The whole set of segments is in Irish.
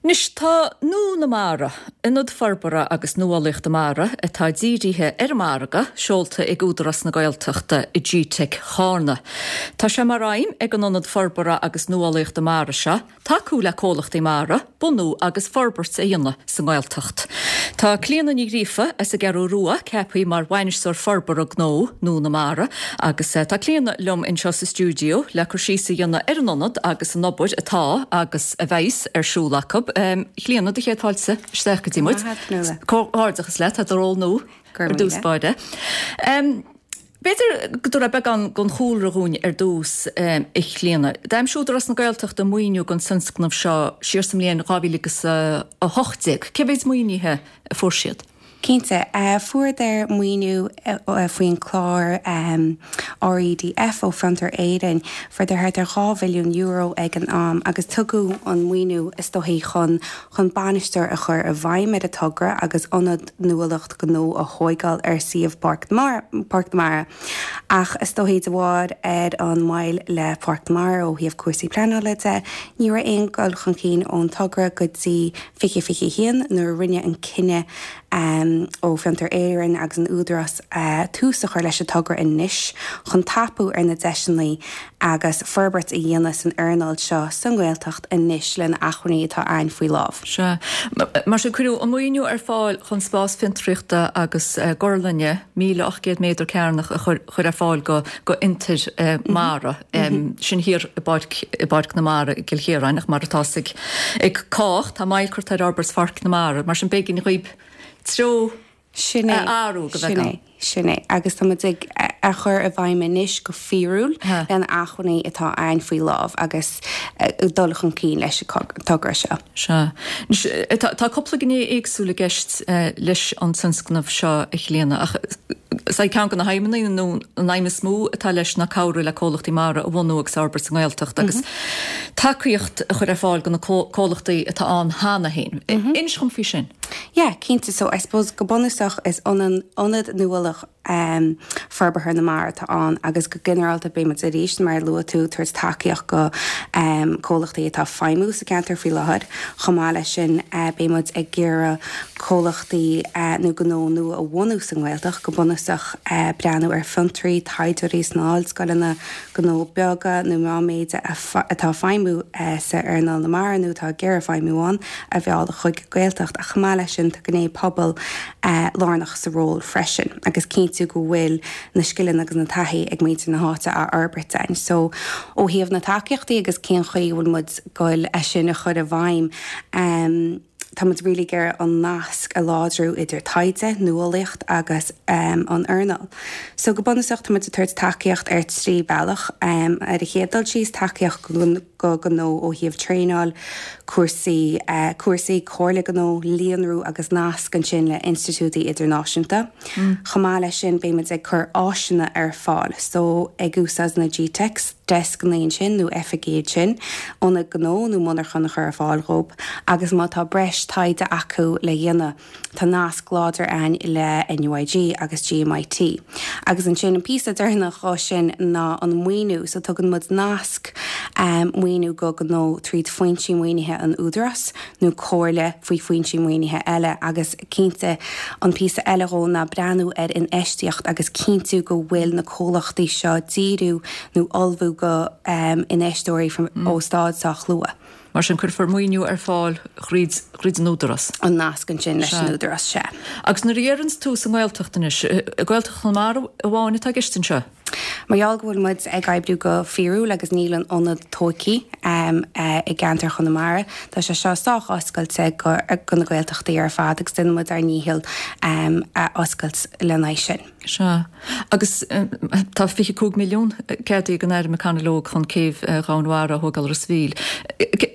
Anois, tá Nua na Mara, Ionad Forbartha agus Nuálaíochta Mara atá dírithe ar an margadh, seolta ag Údarás na Gaeltachta i GTeic Chárna. Tá sé mar aidhm ag an Ionad Forbartha agus Nuálaíochta Mara seo tacú le comhlachtaí mara bunú agus forbairt a dhéanamh sa nGaeltacht. Tá Clíona Ní Ghríofa as an gCeathrú Rua ceaptha mar Bhainisteoir Forbartha Gnó Nua na Mara agus tá Clíona liom anseo sa stiúideo le cur síos a dhéanamh ar an ionad agus an obair atá agus a bheas ar siúl acu. A Chlíona, do chéad fáilte isteach go dtí muid. Comhghairdeachas leat, tá do ról nua ar dtús báire. B'fhéidir go dtabharfá beagán den chúlra dhúinn ar dtús, a Chlíona. D'aimsigh Údarás na Gaeltachta maoiniú don tionscnamh seo siar sa mbliain 2018. Cé mhéid maoinithe a fuair siad? Cinnte. Fuaireadar maoiniú faoin chlár REDF ó Fiontar Éireann. Fuaireadar thart ar €2 mhilliún ag an am agus tugadh an maoiniú is dóichí chun chun bainisteoir a chur i bhfeidhm ar an togra agus ionad nuálaíocht gnó a thóigeáil ar suíomh Pháirc na Mara. Ach is dóichí de bharr ar an moill le Páirc na Mara ó thaobh cúrsaí pleanála de, ní raibh aon dul chun cinn ón togra go dtí 2021 nuair a rinneadh an cinneadh ó Fiontar Éireann agus an Údarás tús a chur leis an togra anois chun tapú ar na deiseanna agus forbairt a dhéanamh san earnáil seo sa nGaeltacht anois le na acmhainní atá a'ainn faoi lámh. Sea. Mar sin, cuireadh an maoiniú ar fáil chun spás fiontraíochta agus gorlainne 1,800 méadar cearnach a chur ar fáil go fhiontair mara, sin thiar i bPáirc, i bPáirc na Mara i gCill Chiaráin, ach mar atá 'fhios ag, ag cách, tá moill curtha ar fhorbairt Pháirc na Mara, mar sin b'éigean dhaoib treo Sin é, a athrú go sin bheagán. é, sin é. Agus tá muid ag a chur i bhfeidhm anois go fíorúil le na acmhainní atá a'ainn faoi lámh agus dul chun cinn leis an togra seo. Sea. Anois, tá cúpla gné éagsúil i gceist leis an tionscnamh seo, a Chlíona, ach is é ceann de na haidhmeanna, nó an aidhm is mó atá leis ná cabhrú le comhlachtaí mara a bhunú agus a fhorbairt sa nGaeltacht agus tacaíocht a chur ar fáil do na comhlachtaí atá ann cheana féin. Inis dhom faoi sin. Yeah, cinnte. So, I suppose go bunúsach is ionad nuálach forbartha na mara atá ann agus go ginearálta beidh muid arís, mar a luaigh tú, tabhairt tacaíocht go comhlachtaí atá ag feidhmiú sa ceantar faoi láthair. Chomh maith leis sin beidh muid ag iarraidh comhlachtaí nó gnó nua a bhunú sa nGaeltacht, go bunúsach breathnú ar fiontraí, taighdeoirí sna hollscoileanna, gnó beaga nó meánmhéide atá ag feidhmiú sa earnáil na mara nó atá ag iarraidh feidhmiú ann a mhealladh chuig an Ghaeltacht ach chomh maith leis sin tá gné pobail lárnach sa ról freisin agus cinntiú go bhfuil na scileanna agus na taithí ag muintir na háite á fhorbairt againn. So ó thaobh na tacaíochtaí agus cén chaoi a bhfuil muid ag goil é sin a chur i bhfeidhm, Tá muid really ag iarraidh an nasc a láidriú idir taighde, nuálaíocht agus an earnáil. So go bunúsach tá muid ag tabhairt tacaíocht ar thrí bealach. Ar an chéad dul síos, tacaíocht go gnó ó thaobh traenáil, cúrsaí, cúrsaí, comhairle gnó, líonrú agus nasc ansin le institiúidí idirnáisiúnta. Chomh maith leis sin beidh muid ag cur áiseanna ar fáil, so ag úsáid na GTeics, deascanna ansin nó oifigí ansin, ionad gnó nó monarchan a chur ar fáil dhóibh agus má tá breis taighde acu le dhéanamh tá nasc láidir a'ainn le NUIG agus GMIT. Agus ansin an píosa deireanach dhó sin ná an maoiniú, so tugann muid nasc maoiniú go gnó tríd foinsí maoinithe an Údarás nó comhairle faoi foinsí maoinithe eile agus cinnte an píosa eile dhó ná breathnú ar infheistíocht agus cinntiú go bhfuil na comhlachtaí seo díriú nó ullmhú go infheisteoirí ó stáid sách luath. Mar sin cuirfear maoiniú ar fáil thríd thríd an Údarás. An nasc ansin leis an Údarás, sea. Agus nuair a dheireanns tú sa nGaeltacht anois, Gaeltacht Chonamara amháin atá i gceist anseo? Mar gheall go bhfuil muid ag oibriú go fíorúil agus níl an ionad tóigthe i gceantar Chonamara, tá sé seo sách oscailte go na Gaeltachtaí ar fad agus déanann muid ár ndícheall a oscailt lena aghaidh sin. Sea. Agus tá 25 milliún ceadaithe ag an Aire McConalogue chun céibh dhomhainmhara a thógáil i Ros a' Mhíl.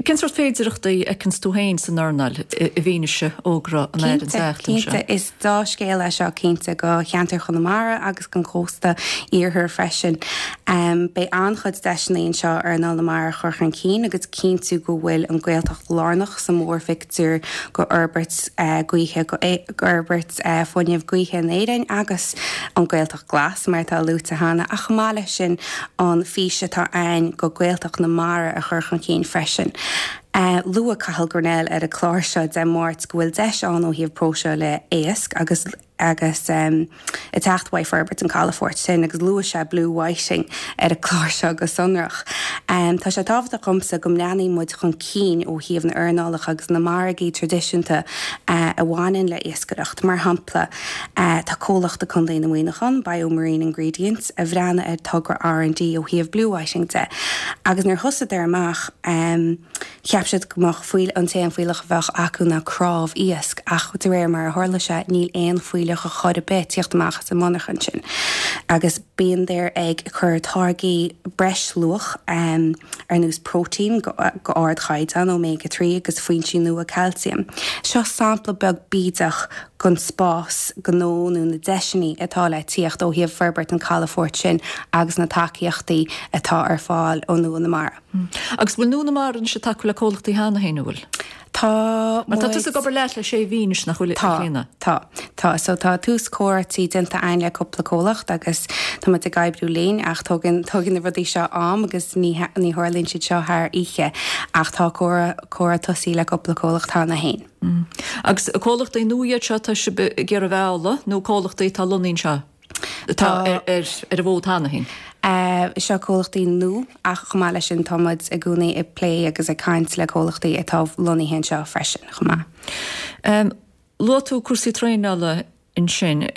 Cén sórt féidireachtaí a fheiceanns tú féin san earnáil i bhfianaise fhógra an Aire an tseachtain seo? Cinnte, is dea-scéal é seo cinnte go cheantar Chonamara agus don chósta iarthair freisin. Beidh an-chuid deiseanna anseo earnáil na mara a chur chun cinn agus cinntiú go bhfuil an Ghaeltacht lárnach sa mhórphictiúr go fhorbairt gaoithe, go fhorbairt fuinnimh gaoithe in Éirinn agus an Ghaeltacht Glas mar atá luaite cheana ach chomh maith leis sin an fís atá ann go Gaeltacht na Mara a chur chun cinn freisin. Luaigh Cathal Grennell ar an chlár seo Dé Máirt go bhfuil deis ann ó thaobh próiseála éisc agus agus ag teacht uaidh forbairt an chalafoirt sin agus luaigh sé blue whiting ar an chlár seo go sonrach. Tá sé tábhachtach dhomsa go mbreathnaíonn muid chun cinn ó thaobh na earnálacha agus na margaí traidisiúnta a bhaineann le iascaireacht. Mar shampla, tá comhlacht i Contae na Muineachán, Bio Marine Ingredients, a bhreathnaigh ar togra R&D ó thaobh blue whiting de agus nuair thosaíodar amach, Cheap siad go mbeadh fuíoll, an t-aon fuílleach a bheadh acu ná cnámh iasc, ach de réir mar a tharla sé, níl aon fuílleach ar chor ar bith ag tíocht amach as an monarchan sin. Agus bíodar ag cur táirgí breisluach, ar nós próitéin go ardchaighdeán, omega 3 agus foinsí nua calciam. Seo sampla beag bídeach den spás gnó nó na deiseanna atá le tíocht ó thaobh forbairt an chalafoirt sin agus na tacaíochtaí atá ar fáil ó Nua na Mara. Agus bhfuil Nua na Mara anois ag tacú le comhlachtaí cheana féin, an bhfuil? Tá Mar tá tusa ag obair leat le sé mhí anois, nach bhfuil, a Chlíona? Tá, tá. So tá tús comhráití déanta againn le cúpla comhlacht agus tá muid ag oibriú linn ach tógann, tógann na rudaí seo am agus ní, ní tharlaíonn siad seo thar oíche ach tá comhrá, comhrá tosaithe le cúpla comhlacht cheana féin. Agus comhlachtaí nua iad seo atá sibh ag iarraidh a mhealladh nó comhlachtaí atá lonnaithe anseo? Atá ar an bhfód cheana féin. Seo comhlachtaí nua ach chomh maith leis sin tá muid i gcónaí ag plé agus ag caint le comhlachtaí atá lonnaithe anseo freisin chomh maith. Luaigh tú cúrsaí traenála ansin.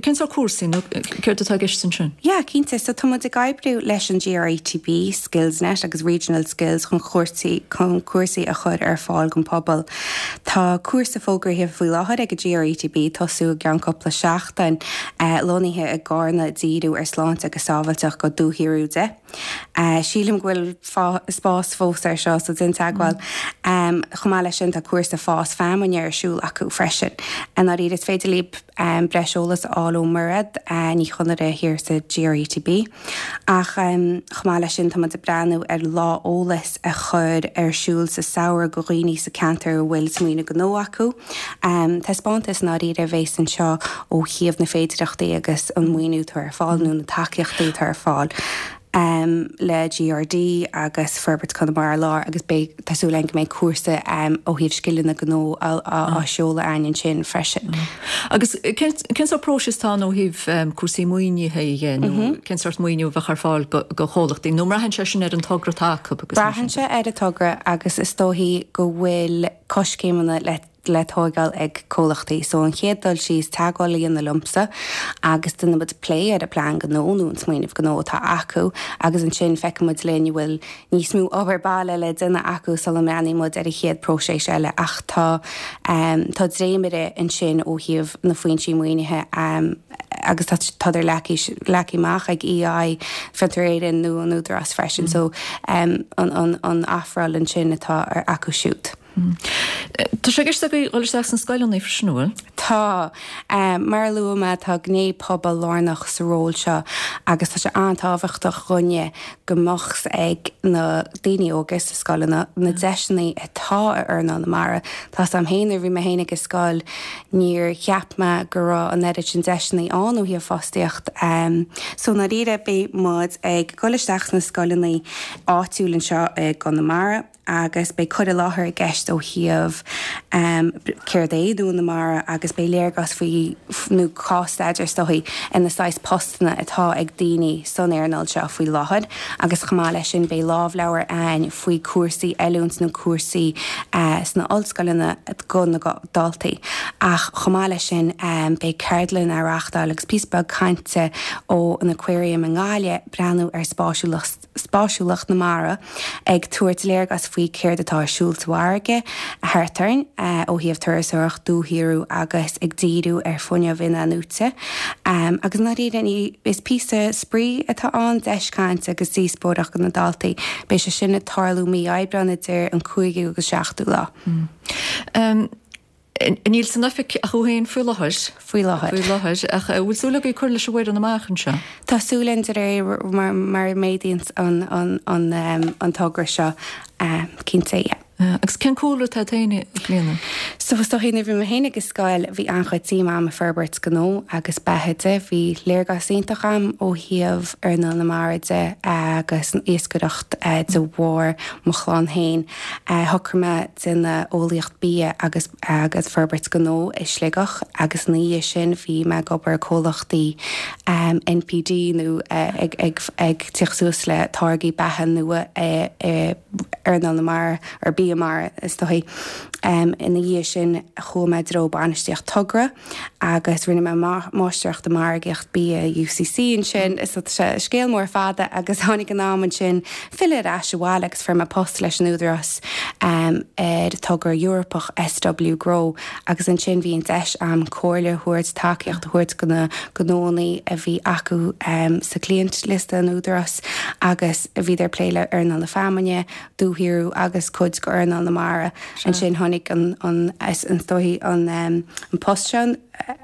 Cén sórt cúrsaí nó céard atá i gceist ansin? Yeah, cinnte. So tá muid ag oibriú leis an GRETB, Skillsnet agus Regional Skills chun chúrsaí, chun cúrsaí a chur ar fáil don phobal. Tá cúrsa fógraithe faoi láthair ag an GRETB tosú i gceann cúpla seachtain, lonnaithe i gCarna díriú ar sláinte agus sábháilteacht go dúshaothrú de. Sílim go bhfuil spás fós ar seo so déan teagmháil. Chomh maith leis sin tá cúrsa fás feamainne ar siúl acu freisin. I ndáiríre is féidir libh breis eolas a fháil ó Mairéad Ní Chonaire thiar sa GRETB. Ach chomh maith leis sin tá muid ag breathnú ar lá eolais a chur ar siúl sa samhradh go dhaoine sa ceantar a bhfuil smaoineamh gnó acu. Taispeántas i ndáiríre a bhéas anseo ó thaobh na féidireachtaí agus an maoiniú atá ar fáil nó na tacaíochtaí atá ar fáil le GRD agus Forbairt Conamara Láir agus beidh, tá súil againn go mbeidh cúrsa ó thaobh scileanna gnó á seoladh againn ansin freisin. Agus cén sórt próiseas atá ann ó thaobh cúrsaí maoinithe dhe nó cén sórt maoiniú a bheadh ar fáil go chomhlachtaí nó an mbraitheann sé sin ar an togra atá acu agus mar sin de? Braitheann sé ar an togra agus is dóichí go bhfuil coiscéimeanna le le tóigeáil ag comhlachtaí. So an chéad dul síos, teagmháil a dhéanamh liomsa agus déanfaidh muid plé ar an bplean gnó nó an smaoineamh gnó atá acu agus ansin feicfidh muid linn an bhfuil níos mó obair baile le déanamh acu sula mbreathnaíonn muid ar an chéad próiseas eile ach tá tá dréimire ansin ó thaobh na foinsí maoinithe agus tá tádar leagtha amach ag EI, Fiontar Éireann nó an Údarás freisin so an an ofráil ansin atá acu siúd. Tá sé i gceist agaibh dhul isteach sna scoileanna freisin, an bhfuil? Tá. Mar a luaigh mé, tá gné pobail lárnach sa ról seo agus tá sé an-tábhachtach dhúinne go mbeadh 's ag na daoine óga sa scoileanna na deiseanna atá i earnáil na mara. Tá 's a'm féin nuair a bhí mé féin ag an scoil níor cheap mé go raibh an oiread sin deiseanna ann ó thaobh fostaíocht. So i ndáiríre beidh muid ag dul isteach sna scoileanna áitiúil anseo i gConamara. agus beidh cur i láthair i gceist ó thaobh céard é Nua na Mara agus beidh léargas faoi, nó cás-staidéar is dóichí, ar na saghas postanna atá ag daoine san earnáil seo faoi láthair agus chomh maith leis sin beidh lámhleabhar a'ainn faoi cúrsaí oiliúint nó cúrsaí sna ollscoileanna go na daltaí. Ach chomh maith leis sin beidh ceardlann á reachtáil agus píosa beag cainte ó an Aquarium i nGaillimh breathnú ar spáisiúlacht spáisiúlacht na mara, ag tabhairt léargas faoi céard atá ar siúl sa bhfarraige thart orainn ó thaobh turasóireacht, dúshaothrú agus ag díriú ar fuinneamh in-athnuaite. Agus i ndáiríre, ní, is píosa spraoi atá ann, deis cainte agus díospóireacht do na daltaí. Beidh sé sin ag tarlú mí Aibreán idir an cúigiú agus seachtú lá. Níl san oifig ach thú féin faoi láthair. Faoi láthair. Faoi láthair. Ach an bhfuil súil agaibh cur leis an bhfoireann amach anseo? Tá súil againn de réir mar a méadaíonn an togra seo, cinnte, yeah. Agus cén cúlra atá agat féin, a Chlíona? So is dóichí nuair a bhí mé féin ag an scoil bhí an-chuid suim a'm i forbairt gnó agus beatha de. Bhí léargas iontach a'm ó thaobh earnáil na mara de agus an iascaireacht de bharr mo chlann féin. Shocraigh mé déanamh eolaíocht bia agus agus forbairt gnó i Sligeach agus ina dhiaidh sin bhí mé ag obair i comhlachtaí NPD nó ag ag ag tíocht suas le táirgí beatha nua i earnáil na mara or bia mara is dóichí. Ina dhiaidh sin chuaigh mé i dtreo bainistíocht togra agus rinne mé máistreacht i margaíocht bia i UCC ansin. So tá sé scéal mór fada agus tháinig an am ansin filleadh ar ais abhaile agus fuair mé post leis an Údarás ar togra Eorpach SW Grow agus ansin bhí an deis a'm comhairle a thabhairt, tacaíocht a thabhairt go na gnóannaí a bhí acu sa client liosta an Údarás agus bhíodar ag plé le earnáil na feamainne, dúshaothrú agus cuid de earnáil na mara. Ansin tháinig an, an, is dóichí an, an post seo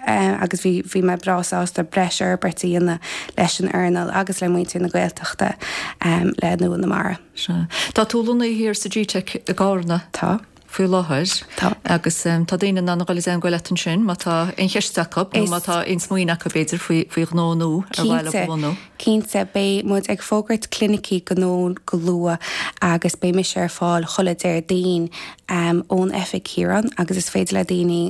agus bhí, bhí mé breá sásta breis fhorbairt a dhéanamh leis an earnáil agus le muintir na Gaeltachta le Nua na Mara. Sea. Tá tú lonnaithe thiar sa G-Teic i gCarna. Tá. faoi láthair. Tá. Agus tá daoine in ann a dhul i dteangmháil leat ansin má tá aon cheist acu nó má tá aon smaoineamh acu b'fhéidir faoi faoi ghnó nua ar mhaith leo a bhunú. Cinnte. Beidh muid ag fógairt clinicí gnó go luath agus beidh mise ar fáil chuile Déardaoin ón oifig thiar ann agus is féidir le daoine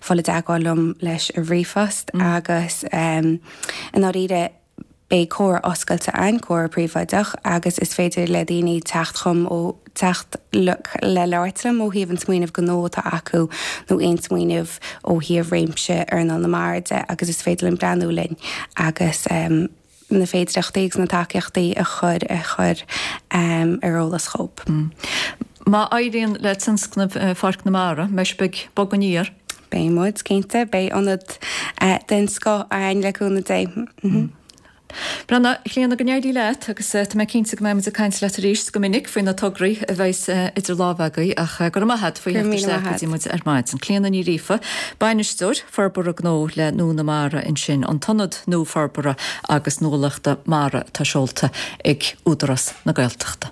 fáil i dteagmháil liom leis an ríomhphost agus i ndáiríre Beidh comhrá oscailte ann, comhrá príobháideach, agus is féidir le daoine teacht chugam ó teacht le labhairt liom ó thaobh an smaoineamh gnó atá acu nó aon smaoineamh ó thaobh réimse earnáil na mara de agus is féidir linn breathnú linn agus na féidireachtaí agus na tacaíochtaí a chur a chur ar eolas dhóibh. Má éiríonn le tionscnamh Pháirc na Mara, mbeidh sibh ag bogadh aniar? Beidh muid, cinnte. Beidh ionad den scoth againn le cúnamh Dé. Breathnaigh, a Chlíona, go n-éirí leat agus tá mé cinnte go mbeidh muid ag caint leat arís go minic faoi na tograí a bheas idir lámha agaibh ach go raibh maith agat faoi theacht isteach go dtí muid ar maidin. Clíona Ní Ghríofa, Bainisteoir Forbartha Gnó le Nua na Mara ansin, an tIonad nua Forbartha agus Nuálaíochta Mara atá seolta ag Údarás na Gaeltachta.